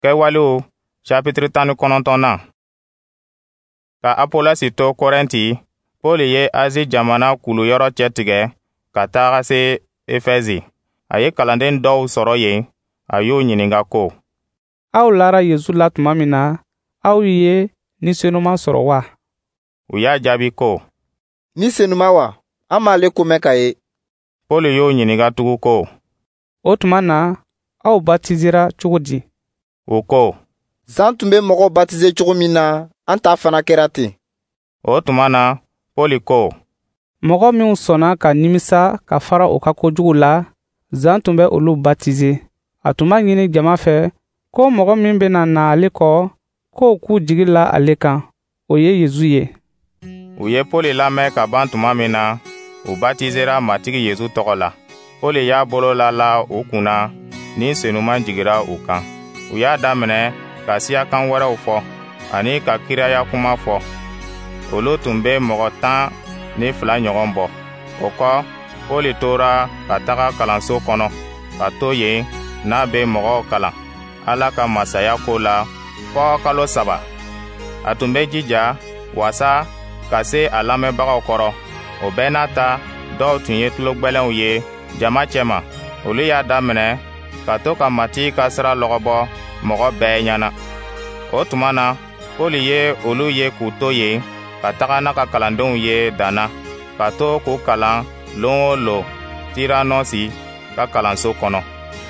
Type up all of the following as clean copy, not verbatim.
Kɛwalew chapitre 19nan. Ka Apolɔsi to Korɛnti, Pɔli ye Azi jamana kuluyɔrɔ cɛtigɛ ka taga se Efɛzi. A ye kalanden dɔw sɔrɔ yen, a y'u ɲininka ko: «Aw lara Yesu la tuma min na, aw ye Ni Senuma sɔrɔ wa?» U y'a jaabi ko: «Ni Senuma wa? An m'ale ko mɛn ka ye.» Pɔli y'u ɲininka tugun ko: «O tuma na, aw batizera cogo di?» U ko: «Zan tun bɛ mɔgɔw batize cogo min na, an ta fana kɛra ten.» O tuma na, Pɔli ko: «Mɔgɔ minw sɔnna ka nimisa ka fara u ka kojugu la, Zan tun bɛ olu batize. A tun b'a ɲini jama fɛ ko mɔgɔ min bɛna na ale kɔ, k'o k'u jigi la ale kan, o ye Yesu ye.» U ye Pɔli lamɛn ka ban tuma min na, u batizera Matigi Yesu tɔgɔ la. Pɔli y'a bolo lala u kunna, Ni Senuma jigira u kan. U y'a daminɛ ka siyakan wɛrɛw fɔ ani ka kiraya kuma fɔ. Olu tun bɛ mɔgɔ 12 ɲɔgɔn bɔ. O kɔ, Pɔli tora ka taga kalanso kɔnɔ, ka to yen n'a bɛ mɔgɔw kalan Ala ka masaya ko la fɔ kalo 3. A tun bɛ jija wasa ka se a lamɛnbagaw kɔrɔ. O bɛɛ n'a ta, dɔw tun ye tulogwɛlɛnw ye jama cɛma. Olu y'a daminɛ ka to ka Matigi ka sira lɔgɔbɔ mɔgɔ bɛɛ ɲɛna. O tuma na, Pɔli ye olu ye k'u to yen ka taga n'a ka kalandenw ye danna, ka to k'u kalan lon o lon Tiranɔsi ka kalanso kɔnɔ.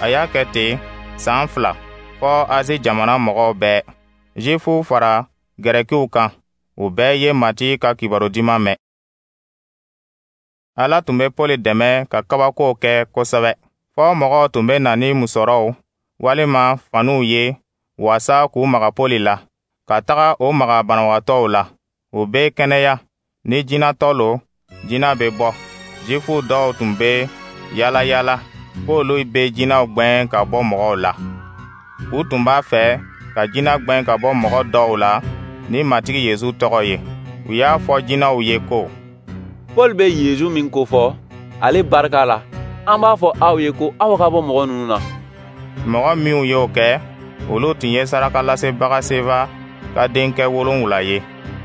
A y'a kɛ ten san 2 fɔ Azi jamana mɔgɔw bɛɛ, Zifuw fara Gɛrɛkiw kan, u bɛɛ ye Matigi ka kibaru duman mɛn. Ala tun bɛ Pɔli dɛmɛ ka kabakow kɛ kosɛbɛ, fɔ mɔgɔw tun bɛ na ni musɔrɔw walima faniw ye wasa k'u maga Pɔli la, ka taga o maga banabagatɔw la. U bɛ kɛnɛya. Ni jinɛtɔ lo, jinɛ bɛ bɔ. Zifu dɔw tun bɛ yala yala k'olu bɛ jinɛw gwɛn ka bɔ mɔgɔw la. U tun b'a fɛ ka jinɛ gwɛn ka bɔ mɔgɔ dɔw la ni Matigi Yesu tɔgɔ ye. U y'a fɔ jinɛw ye ko: «Paul bɛ Yesu min kofɔ, ale barika la, an b'a fɔ aw ye ko aw ka bɔ mɔgɔ ninnu na.» Mɔgɔ minw y'o kɛ, olu tun ye sarakalasebaga Seva ka denkɛ 7 ye.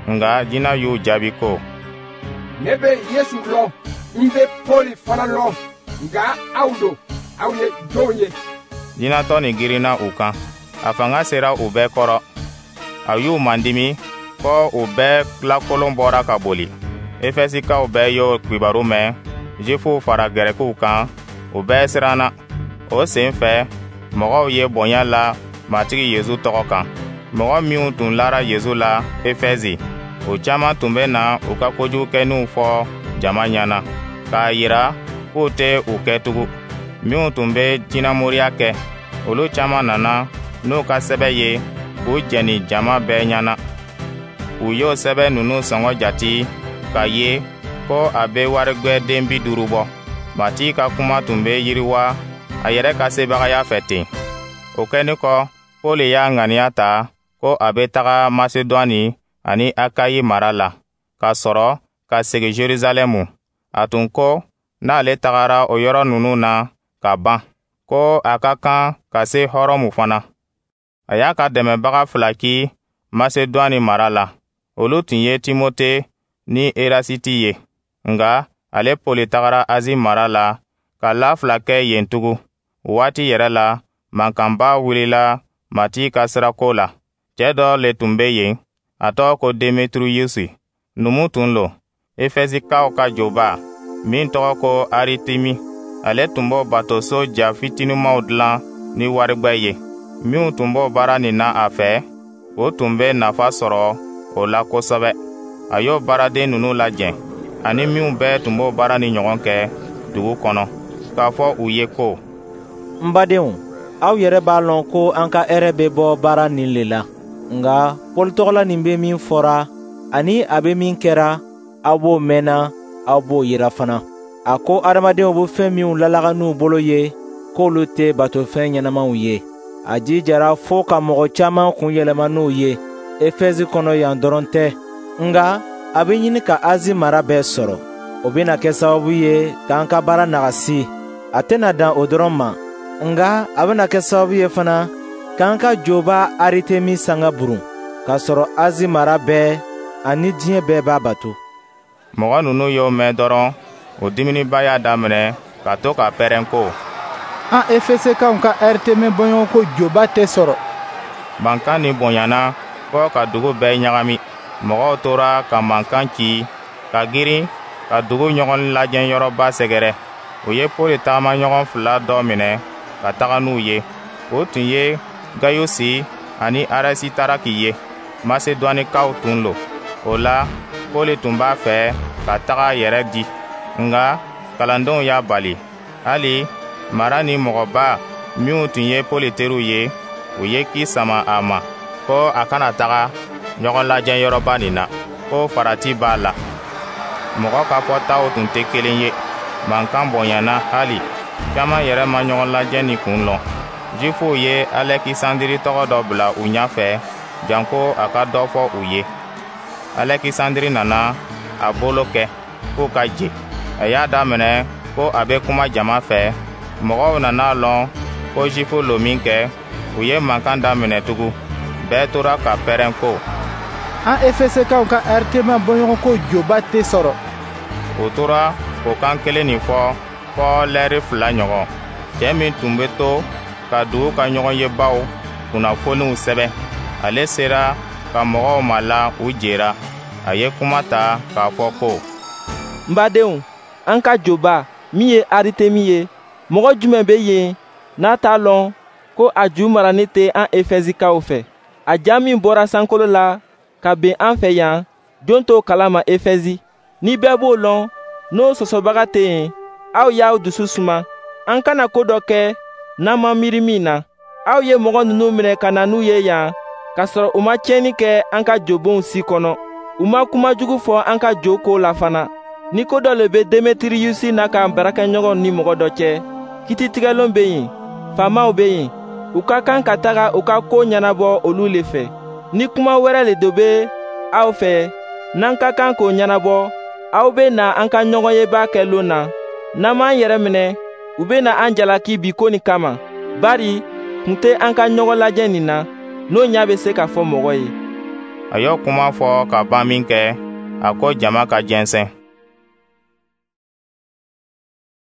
Nka jinɛ y'u jaabi ko: «Ne bɛ Yesu lɔn, n bɛ Pɔli fana lɔn, nka aw don, aw ye jɔnw ye?» Jinɛtɔ nin girinna u kan, a fanga sera u bɛɛ kɔrɔ. A y'u mandimi fɔ u bɛɛ lakolon bɔra ka boli. Efɛsikaw bɛɛ y'o kibaru mɛn, Zifuw fara Gɛrɛkiw kan, u bɛɛ siranna. O sen fɛ, mɔgɔw ye bonya la Matigi Yesu tɔgɔ kan. Mɔgɔ minw tun lara Yesu la Efɛzi, o caman tun bɛ na u ka kojugukɛninw fɔ jama ɲɛna, k'a yira k'u tɛ u kɛ tugun. Minw tun bɛ jinɛmoriya kɛ, olu caman nana n'u ka sɛbɛ ye k'u jɛni jama bɛɛ ɲɛna. U y'o sɛbɛ ninnu sɔngɔ jati k'a ye ko a bɛ warigwɛden 50 bɔ. Matigi ka kuma tun bɛ yiriwa a yɛrɛ ka sebagaya fɛ ten. O kɛnin kɔ, Pɔli y'a ŋaniya ta ko a bɛ taga Masedwani ani Akayi mara la, ka sɔrɔ ka segin Jerusalɛmu. A tun ko n'ale tagara o yɔrɔ ninnu na ka ban, ko a ka kan ka se Hɔrɔmu fana. A y'a ka dɛmɛbaga 2 ci Masedwani mara la. Olu tun ye Timote ni Erasiti ye. Nka ale Pɔli tagara Azi mara la ka la 2 kɛ yen tugun. O waati yɛrɛ la, mankanba wulila Matigi ka sirako la. Cɛ dɔ le tun bɛ yen, a tɔgɔ ko Demetiriyusi. Numu tun lo, Efɛsikaw ka joba min tɔgɔ ko Aritemi. Ale tun b'o batoso ja fitinimaw dilan ni warigwɛ ye. Minw tun b'o baara nin na a fɛ, o tun bɛ nafa sɔrɔ o la kosɛbɛ. A y'o baaraden ninnu lajɛ, ani minw bɛɛ tun b'o baara ni ɲɔgɔn kɛ dugu kɔnɔ, k'a fɔ u ye ko: «N badenw, aw yɛrɛ b'a lɔn ko an ka hɛrɛ bɛ bɔ baara nin le la. Nka Pɔli tɔgɔla nin bɛ min fɔra ani a bɛ min kɛra, aw b'o mɛnna, aw b'o yira fana. A ko adamadenw bɛ fɛn minw lalaga n'u bolo ye, k'olu tɛ batofɛn ɲɛnamaw ye. A jijara fo ka mɔgɔ caman kun yɛlɛma n'o ye, Efɛzi kɔnɔ yan dɔrɔn tɛ, nka a bɛ ɲini ka Azi mara bɛɛ sɔrɔ. O bɛna kɛ sababu ye k'an ka baara nagasi. A tɛna dan o dɔrɔn ma, nka a bɛna kɛ sababu ye fana K'an ka joba Aritemi sanga burun, k'a sɔrɔ Azi mara bɛɛ ani diɲɛ bɛɛ b'a bato.» Mɔgɔ ninnu y'o mɛn dɔrɔn, o diminniba y'a daminɛ ka to ka pɛrɛn ko: «An Efesekaw ka Aritemi bɔɲɔgɔnko joba tɛ sɔrɔ.» Mankan nin bonyana fo ka dugu bɛɛ ɲagami. Mɔgɔw tora ka mankan ci ka girin ka dugu ɲɔgɔn lajɛyɔrɔba sɛgɛrɛ. U ye Pɔli tagamaɲɔgɔn fila dɔ minɛ ka taga n'u ye. O tun ye Gayusi ani Arisitaraki ye, Masedwanikaw tun lo. O la, Pɔli tun b'a fɛ ka taga a yɛrɛ di, nka kalandenw y'a bali. Hali mara ni mɔgɔba minw tun ye Pɔli teriw ye, u ye ki sama a ma ko a kana taga ɲɔgɔn lajɛyɔrɔba nin na, ko farati b'a la. Mɔgɔ ka fɔtaw tun tɛ kelen ye. Mankan bonyana hali caman yɛrɛ ma ɲɔgɔn lajɛ nin kun lɔn. Zifuw ye Alɛkisandiri tɔgɔ dɔ bila u ɲɛfɛ janko a ka dɔ fɔ u ye. Alɛkisandiri nana a bolo kɛ k'u ka je. A y'a daminɛ ko a bɛ kuma jama fɛ. Mɔgɔw nana lɔn ko Zifu lo minkɛ, u ye mankan daminɛ tugun. Bɛɛ tora ka pɛrɛn ko: «An Efesekaw ka Aritemi bɔɲɔgɔnko joba tɛ sɔrɔ.» U tora o kan kelen nin fɔ fɔ lɛri 2 ɲɔgɔn. Cɛ min tun bɛ to ka dugu ka ɲɔgɔnyebaw kunnafoniw sɛbɛn, ale sera ka mɔgɔw mala u jera. A ye kuma ta k'a fɔ ko: «N badenw, an ka joba min ye Aritemi ye, mɔgɔ jumɛn bɛ yen n'a t'a lɔn ko a ju marani tɛ an Efɛsikaw fɛ? A ja min bɔra sankolo la ka ben an fɛ yan, jon t'o kalama Efɛsi? Ni bɛɛ b'o lɔn, n'o sɔsɔbaga tɛ yen, aw y'aw dusu suma. An kana ko dɔ kɛ n'an ma miiri min na. Aw ye mɔgɔ ninnu minɛ ka na n'u ye yan, k'a sɔrɔ u ma tiɲɛni kɛ an ka jobonw si kɔnɔ. U ma kuma jugu fɔ an ka jo ko la fana. Ni ko dɔ le bɛ Demetiriyusi n'a ka baarakɛɲɔgɔnw ni mɔgɔ dɔ cɛ, kititigɛlon bɛ yen, faamaw bɛ yen. U ka kan ka taga u ka ko ɲɛnabɔ olu le fɛ. Ni kuma wɛrɛ le do bɛ aw fɛ, n'an ka kan k'o ɲɛnabɔ, aw bɛ na an ka ɲɔgɔnyeba kɛ lon na. N'an m'an yɛrɛ minɛ, u bɛ na an jalaki bi ko nin kama, bari kun tɛ an ka ɲɔgɔn lajɛ nin na, n'o ɲɛ bɛ se ka fɔ mɔgɔ ye.» A y'o kuma fɔ ka ban minkɛ, a ko jama ka jɛnsɛn.